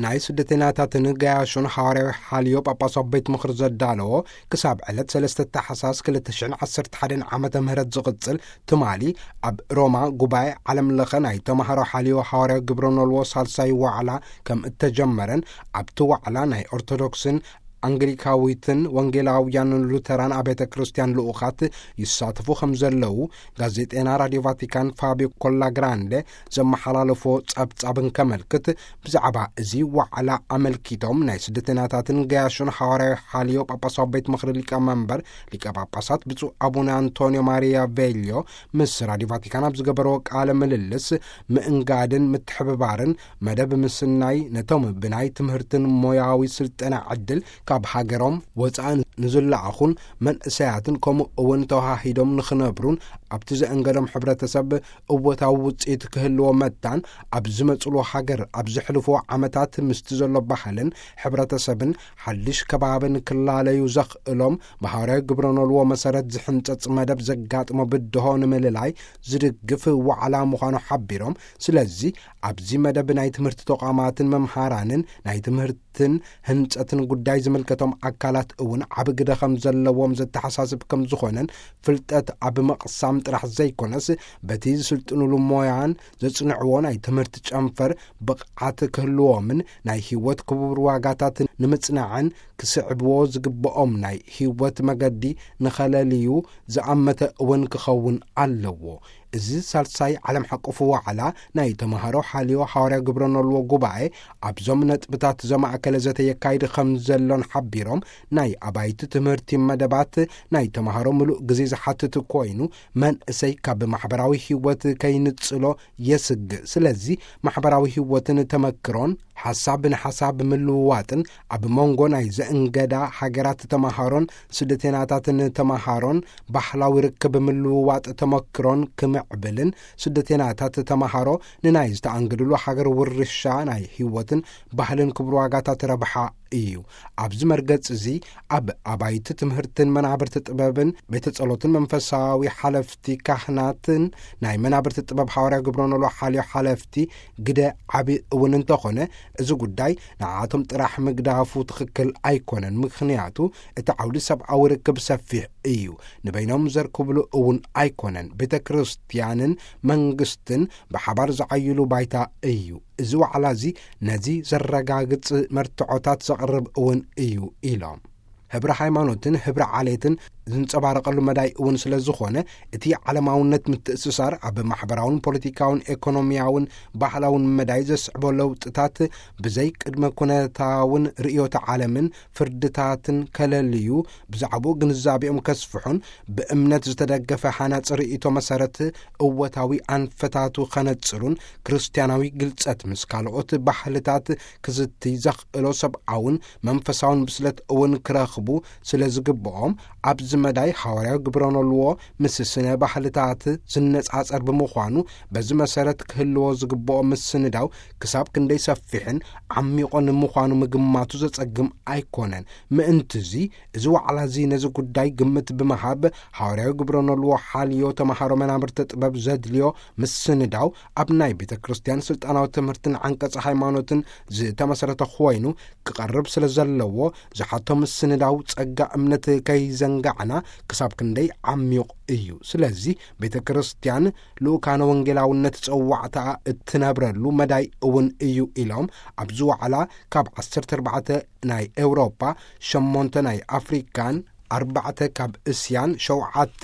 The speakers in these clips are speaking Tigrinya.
ናይ ስደተኛታትን ገያሾን ሓዋርያዊ ሓልዮ ጳጳሳዊ ቤት ምኽሪ ዘዳለዎ፣ ክሳብ ዕለት ሰለስተ ታሕሳስ ክልተ ሽሕን ዓሰርተ ሓደን ዓመተ ምህረት ዝቕጽል ትማሊ ኣብ ሮማ ጉባኤ ዓለም ለኸ ናይ ተማሃሮ ሓልዮ ሓዋርያዊ ግብረ ኖልዎ ሳልሳይ ዋዕላ ከም እተጀመረን፣ ኣብቲ ዋዕላ ናይ ኦርቶዶክስን ኣንግሊካዊትን ወንጌላውያንን ሉተራን ኣብያተ ክርስቲያን ልኡኻት ይሳተፉ ከም ዘለዉ ጋዜጤና ራድዮ ቫቲካን ፋቢዮ ኮላግራንደ ዘመሓላለፎ ጸብጻብ እንከመልክት፣ ብዛዕባ እዚ ዋዕላ ኣመልኪቶም ናይ ስደተኛታትን ገያሾን ሓዋርያዊ ሓልዮ ጳጳሳዊ ቤት ምኽሪ ሊቀ መንበር ሊቀ ጳጳሳት ብፁዕ ኣቡነ ኣንቶንዮ ማሪያ ቬልዮ ምስ ራድዮ ቫቲካን ኣብ ዝገበርዎ ቃለ ምልልስ፣ ምእንጋድን ምትሕብባርን መደብ ምስናይ፣ ነቶም ብናይ ትምህርትን ሞያዊ ስልጠና ዕድል ካብ ሃገሮም ወጻኢ ንዝለኣኹን መንእሰያትን፣ ከምኡ እውን ተዋሃሂዶም ንኽነብሩን ኣብቲ ዘእንገዶም ሕብረተሰብ እወታዊ ውጽኢት ክህልዎ መታን፣ ኣብ ዝመጽሉ ሃገር ኣብ ዘሕልፍዎ ዓመታት ምስቲ ዘሎ ባህልን ሕብረተሰብን ሓድሽ ከባብን ክላለዩ ዘኽእሎም፣ ብሃዋርያዊ ግብረ ኖልዎ መሰረት ዝሕንጸጽ መደብ ዘጋጥሞ ብድሆ ንምልላይ ዝድግፍ ዋዕላ ምዃኑ ሓቢሮም፣ ስለዚ ኣብዚ መደብ ናይ ትምህርቲ ተቋማትን መምሃራንን ናይ ትምህርትን ህንጸትን ጉዳይ ዝምልከቶም ኣካላት እውን ዓቢ ግደ ከም ዘለዎም ዘተሓሳስብ ከም ዝኾነን፣ ፍልጠት ኣብ መቕሳም ጥራሕ ዘይኮነስ፣ በቲ ዝስልጥኑሉ ሞያን ዘጽንዕዎ ናይ ትምህርቲ ጨንፈር ብቕዓት ክህልዎምን ናይ ህይወት ክቡር ዋጋታት ንምጽናዕን ክስዕብዎ ዝግብኦም ናይ ህይወት መገዲ ንኸለልዩ ዝኣመተ እውን ክኸውን ኣለዎ። እዚ ሳልሳይ ዓለም ሓቆፍ ዋዕላ ናይ ተማሃሮ ሓልዮ ሓዋርያ ግብረ ኖልዎ ጉባኤ ኣብዞም ነጥብታት ዘማእከለ ዘተ የካይድ ከም ዘሎን ሓቢሮም፣ ናይ ኣባይቲ ትምህርቲ መደባት ናይ ተማሃሮ ምሉእ ግዜ ዝሓትት ኮይኑ፣ መንእሰይ ካብ ማሕበራዊ ህይወት ከይንጽሎ የስግእ። ስለዚ ማሕበራዊ ህይወትን ተመክሮን፣ ሓሳብ ንሓሳብ ምልውዋጥን፣ ኣብ መንጎ ናይ ዘእንገዳ ሃገራት ተማሃሮን ስደተናታትን ተማሃሮን ባህላዊ ርክብ ምልውዋጥ ተመክሮን ክምዕብልን፣ ስደተናታት ተማሃሮ ንናይ ዝተኣንገድሉ ሃገር ውርሻ ናይ ህይወትን ባህልን ክቡር ዋጋታት ረብሓ እዩ። ኣብዚ መርገጽ እዚ ኣብ ኣባይቲ ትምህርትን መናብርቲ ጥበብን ቤተ ጸሎትን መንፈሳዊ ሓለፍቲ ካህናትን ናይ መናብርቲ ጥበብ ሓዋርያ ግብረ ኖልዎ ሓልዮ ሓለፍቲ ግደ ዓቢ እውን እንተኾነ፣ እዚ ጉዳይ ንዓቶም ጥራሕ ምግዳፉ ትኽክል ኣይኮነን። ምኽንያቱ እቲ ዓውዲ ሰብኣዊ ርክብ ሰፊሕ እዩ። ንበይኖም ዘርክብሉ እውን ኣይኮነን። ቤተ ክርስቲያንን መንግስትን ብሓባር ዝዓይሉ ባይታ እዩ። እዚ ዋዕላ እዚ ነዚ ዘረጋግጽ መርትዖታት ዘቕርብ እውን እዩ ኢሎም። ህብረ ሃይማኖትን ህብረ ዓሌትን ዝንጸባረቐሉ መዳይ እውን ስለ ዝኾነ፣ እቲ ዓለማውነት ምትእስሳር ኣብ ማሕበራውን ፖለቲካውን ኤኮኖሚያውን ባህላውን መዳይ ዘስዕቦ ለውጥታት ብዘይ ቅድመ ኩነታውን ርእዮተ ዓለምን ፍርድታትን ከለልዩ፣ ብዛዕባኡ ግንዛቤኦም ከስፍሑን ብእምነት ዝተደገፈ ሃናጺ ርእይቶ መሰረት እወታዊ ኣንፈታቱ ከነጽሩን፣ ክርስትያናዊ ግልጸት ምስ ካልኦት ባህልታት ክዝቲ ዘኽእሎ ሰብኣውን መንፈሳውን ብስለት እውን ክረኽቡ ስለ ዝግብኦም፣ ኣብዚ መዳይ ሓዋርያዊ ግብረ ኖልዎ ምስ ስነ ባህልታት ዝነጻጸር ብምዃኑ፣ በዚ መሰረት ክህልዎ ዝግብኦ ምስንዳው ክሳብ ክንደይ ሰፊሕን ዓሚቑን ምዃኑ ምግማቱ ዘጸግም ኣይኮነን። ምእንትዚ፣ እዚ ዋዕላ እዚ ነዚ ጉዳይ ግምት ብምሃብ፣ ሓዋርያዊ ግብረ ኖልዎ ሓልዮ ተማሃሮ መናብርቲ ጥበብ ዘድልዮ ምስንዳው ኣብ ናይ ቤተ ክርስቲያን ስልጣናዊ ትምህርትን ዓንቀጸ ሃይማኖትን ዝተመሰረተ ኮይኑ ክቐርብ ስለ ዘለዎ፣ ዝሓቶ ምስንዳው ጸጋ እምነት ከይዘንጋዕና ክሳብ ክንደይ ዓሚቕ እዩ። ስለዚ ቤተ ክርስቲያን ልኡካነ ወንጌላውነት ጸዋዕታኣ እትነብረሉ መዳይ እውን እዩ ኢሎም፣ ኣብዚ ዋዕላ ካብ ዓሰርተ ኣርባዕተ ናይ ኤውሮጳ፣ ሸሞንተ ናይ ኣፍሪካን፣ ኣርባዕተ ካብ እስያን፣ ሸውዓተ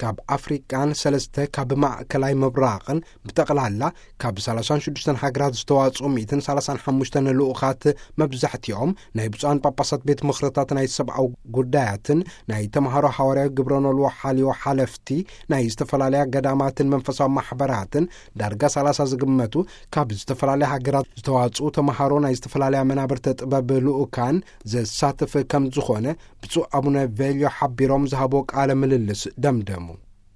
ካብ ኣፍሪቃን ሰለስተ ካብ ማእከላይ ምብራቕን፣ ብጠቕላላ ካብ ሰላሳን ሽዱሽተን ሃገራት ዝተዋጽኡ ሚእትን ሰላሳን ሓሙሽተን ልኡኻት፣ መብዛሕትኦም ናይ ብፁዓን ጳጳሳት ቤት ምኽርታት ናይ ሰብኣዊ ጉዳያትን ናይ ተምሃሮ ሓዋርያዊ ግብረ ኖልዎ ሓልዮ ሓለፍቲ ናይ ዝተፈላለያ ገዳማትን መንፈሳዊ ማሕበራትን፣ ዳርጋ ሰላሳ ዝግመቱ ካብ ዝተፈላለያ ሃገራት ዝተዋጽኡ ተምሃሮ ናይ ዝተፈላለያ መናብርተ ጥበብ ልኡካን ዘሳትፍ ከም ዝኾነ ብፁዕ ኣቡነ ቬልዮ ሓቢሮም ዝሃቦ ቃለ ምልልስ ደምደሙ።